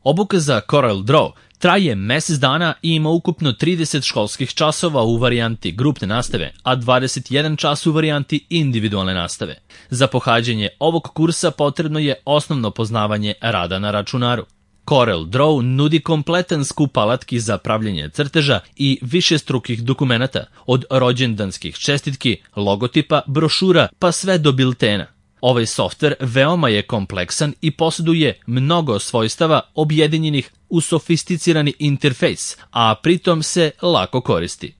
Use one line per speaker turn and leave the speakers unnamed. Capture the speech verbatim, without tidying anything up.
Obuka za CorelDRAW traje mesec dana i ima ukupno trideset školskih časova u varijanti grupne nastave, a dvadeset jedan čas u varijanti individualne nastave. Za pohađanje ovog kursa potrebno je osnovno poznavanje rada na računaru. CorelDRAW nudi kompletan skup alatki za pravljenje crteža i višestrukih dokumenata, od rođendanskih čestitki, logotipa, brošura pa sve do biltena. Ovaj softver veoma je kompleksan i posjeduje mnogo svojstava objedinjenih u sofisticirani interfejs, a pritom se lako koristi.